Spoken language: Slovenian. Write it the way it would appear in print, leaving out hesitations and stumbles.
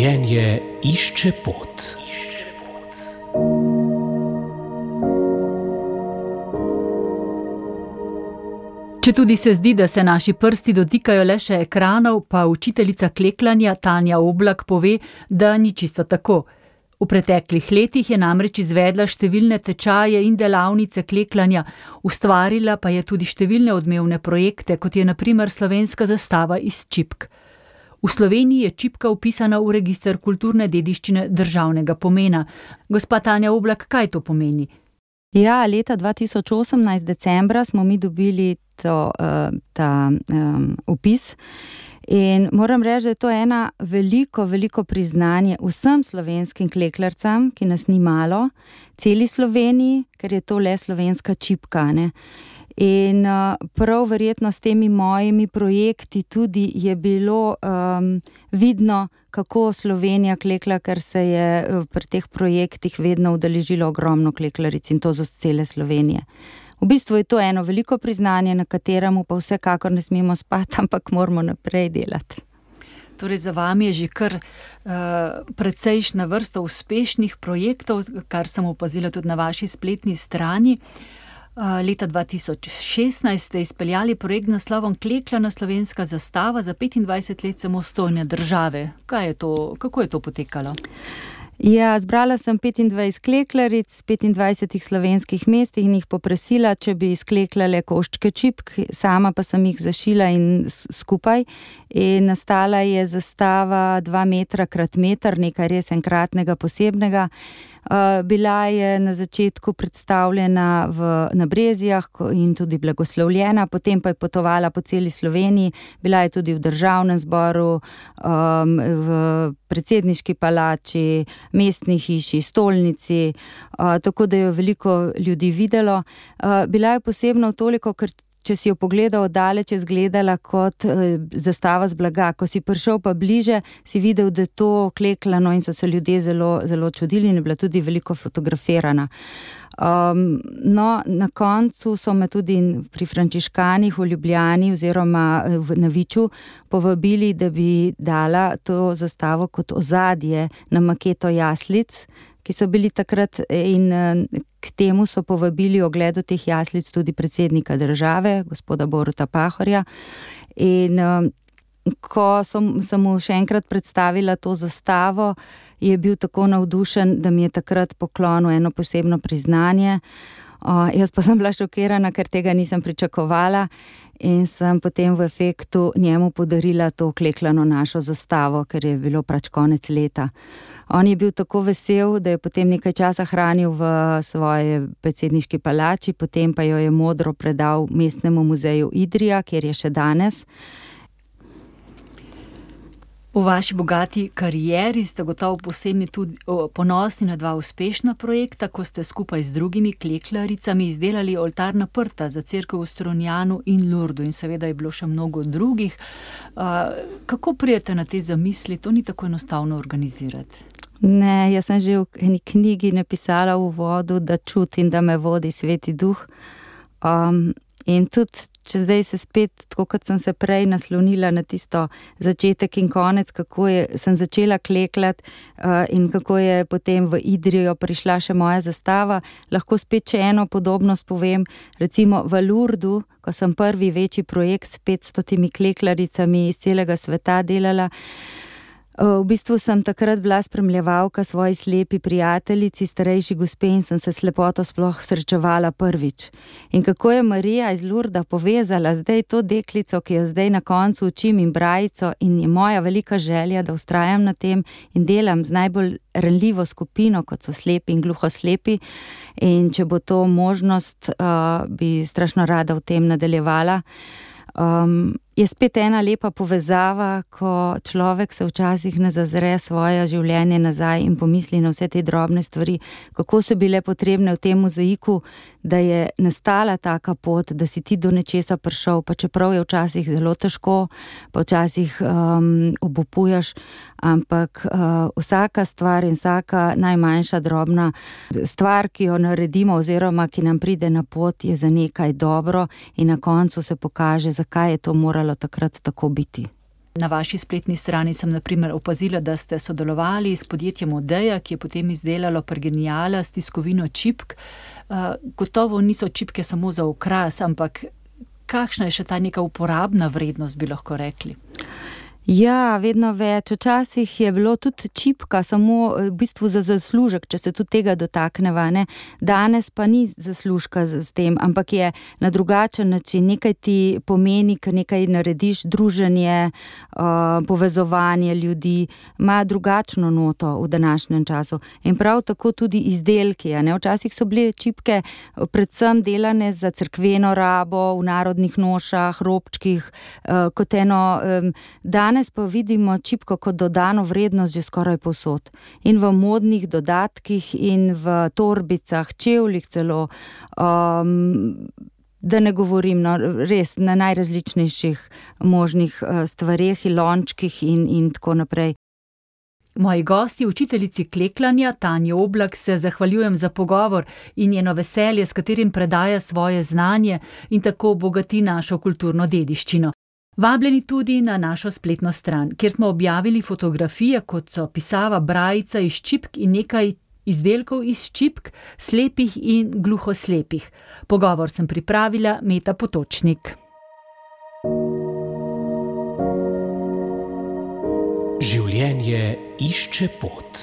Življenje išče pot. Četudi se zdi, da se naši prsti dotikajo le še ekranov, pa učiteljica kleklanja Tanja Oblak pove, da ni čisto tako. V preteklih letih je namreč izvedla številne tečaje in delavnice kleklanja, ustvarila pa je tudi številne odmevne projekte, kot je na primer slovenska zastava iz čipk. V Sloveniji je čipka vpisana v register kulturne dediščine državnega pomena. Gospa Tanja Oblak, kaj to pomeni? Ja, leta 2018 decembra smo mi dobili ta vpis in moram reči, da je to ena veliko priznanje vsem slovenskim kleklarcem, ki nas ni malo, celi Sloveniji, ker je to le slovenska čipka, ne. In prav verjetno s temi mojimi projekti tudi je bilo vidno, kako Slovenija klekla, ker se je pri teh projektih vedno udeležilo ogromno kleklaric in to z cele Slovenije. V bistvu je to eno veliko priznanje, na kateremu pa vsekakor ne smemo spati, ampak moramo naprej delati. Torej za vami je že kar precejšnja vrsta uspešnih projektov, kar sem opazila tudi na vaši spletni strani. Leta 2016 ste izpeljali projekt z naslovom Kleklana slovenska zastava za 25 let samostojne države. Kako je to potekalo? Ja, zbrala sem 25 kleklaric z 25 slovenskih mest in jih poprosila, če bi izkleklale koščke čipk, sama pa sem jih zašila in skupaj. In nastala je zastava 2 metra krat meter, nekaj res enkratnega, posebnega. Bila je na začetku predstavljena na Brezjah in tudi blagoslovljena, potem pa je potovala po celi Sloveniji, bila je tudi v Državnem zboru, v predsedniški palači, mestni hiši, stolnici, tako da jo veliko ljudi videlo. Bila je posebno toliko, ker če si jo pogledal oddaleč, je izgledala kot zastava z blaga. Ko si prišel pa bliže, si videl, da je to kleklano in so se ljudje zelo čudili in je bila tudi veliko fotografirana. No, na koncu so me tudi pri Frančiškanih v Ljubljani oziroma na Viču povabili, da bi dala to zastavo kot ozadje na maketo jaslic, ki so bili takrat, in k temu so povabili ogledu teh jaslic tudi predsednika države, gospoda Boruta Pahorja. In ko sem mu še enkrat predstavila to zastavo, je bil tako navdušen, da mi je takrat poklonil eno posebno priznanje. Jaz pa sem bila šokirana, ker tega nisem pričakovala in sem potem v efektu njemu podarila to kleklano našo zastavo, ker je bilo pač konec leta. On je bil tako vesel, da je potem nekaj časa hranil v svoje predsedniški palači, potem pa jo je modro predal Mestnemu muzeju Idrija, kjer je še danes. V vaši bogati karieri ste gotovo posebni tudi ponosni na 2 uspešna projekta, ko ste skupaj z drugimi kleklaricami izdelali oltarna prta za cerkev v Strunjanu in Lurdu in seveda je bilo še mnogo drugih. Kako prijete na te zamisli? To ni tako enostavno organizirati. Ne, jaz sem že v eni knjigi napisala v uvodu, da čutim, da me vodi Sveti Duh. In tudi, če zdaj se spet, tako kot sem se prej naslonila na tisto začetek in konec, kako sem začela kleklati in kako je potem v Idrijo prišla še moja zastava, lahko spet še eno podobnost povem. Recimo v Lurdu, ko sem prvi večji projekt s 500 kleklaricami iz celega sveta delala, v bistvu sem takrat bila spremljevalka svoji slepi prijateljici, starejši gospe in sem se s lepoto sploh srečevala prvič. In kako je Marija iz Lurda povezala zdaj to deklico, ki jo zdaj na koncu učim in brajico in je moja velika želja, da vztrajam na tem in delam z najbolj ranljivo skupino, kot so slepi in gluhoslepi. In če bo to možnost, bi strašno rada v tem nadaljevala. Je spet ena lepa povezava, ko človek se včasih ne zazre svoje življenje nazaj in pomisli na vse te drobne stvari, kako so bile potrebne v tem mozaiku, da je nastala taka pot, da si ti do nečesa prišel, pa čeprav je včasih zelo težko, pa včasih obupuješ, ampak vsaka stvar in vsaka najmanjša drobna stvar, ki jo naredimo oziroma ki nam pride na pot, je za nekaj dobro in na koncu se pokaže, zakaj je to moralo takrat tako biti. Na vaši spletni strani sem na primer opazila, da ste sodelovali s podjetjem Odeja, ki je potem izdelalo Pergeniala s tiskovino čipk. Gotovo niso čipke samo za okras, ampak kakšna je še ta neka uporabna vrednost, bi lahko rekli? Ja, vedno več. Včasih je bilo tudi čipka samo v bistvu za zaslužek, če se tudi tega dotakneva, ne. Danes pa ni zaslužka s tem, ampak je na drugačen način. Nekaj ti pomeni, ker nekaj narediš, druženje, povezovanje ljudi, ima drugačno noto v današnjem času. In prav tako tudi izdelki, ne. Včasih so bile čipke predvsem delane za cerkveno rabo, v narodnih nošah, robčkih, kot eno, danes pa vidimo čipko kot dodano vrednost že skoraj povsod. In v modnih dodatkih in v torbicah, čevljih celo, da ne govorim, no, res na najrazličnejših možnih stvareh, lončkih in tako naprej. Moji gosti, učiteljici kleklanja Tanji Oblak, se zahvaljujem za pogovor in njeno veselje, s katerim predaja svoje znanje in tako bogati našo kulturno dediščino. Vabljeni tudi na našo spletno stran, kjer smo objavili fotografije, kot so pisava, brajica iz čipk in nekaj izdelkov iz čipk, slepih in gluhoslepih. Pogovor sem pripravila Meta Potočnik. Življenje išče pot.